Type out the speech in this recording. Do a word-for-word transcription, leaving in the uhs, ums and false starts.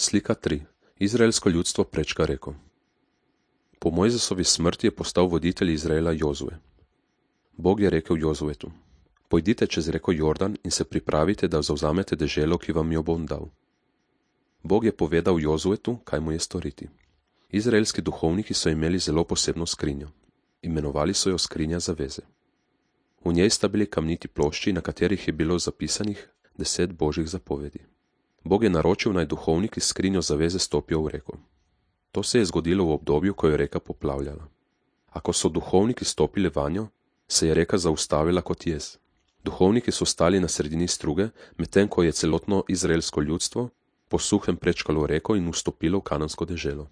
Slika tri. Izraelsko ljudstvo prečka reko. Po Mojzesovi smrti je postal voditelj Izraela Jozue. Bog je rekel Jozuetu: Pojdite čez reko Jordan in se pripravite, da zavzamete deželo, ki vam jo bom dal. Bog je povedal Jozuetu, kaj mu je storiti. Izraelski duhovniki so imeli zelo posebno skrinjo. Imenovali so jo skrinja zaveze. V njej sta bili kamniti plošči, na katerih je bilo zapisanih deset božjih zapovedi. Bog je naročil, naj duhovniki s skrinjo zaveze stopijo v reko. To se je zgodilo v obdobju, ko je reka poplavljala. Ako so duhovniki stopili vanjo, se je reka zaustavila kot jez. Duhovniki so stali na sredini struge, medtem ko je celotno izraelsko ljudstvo po suhem prečkalo reko in vstopilo v kanansko deželo.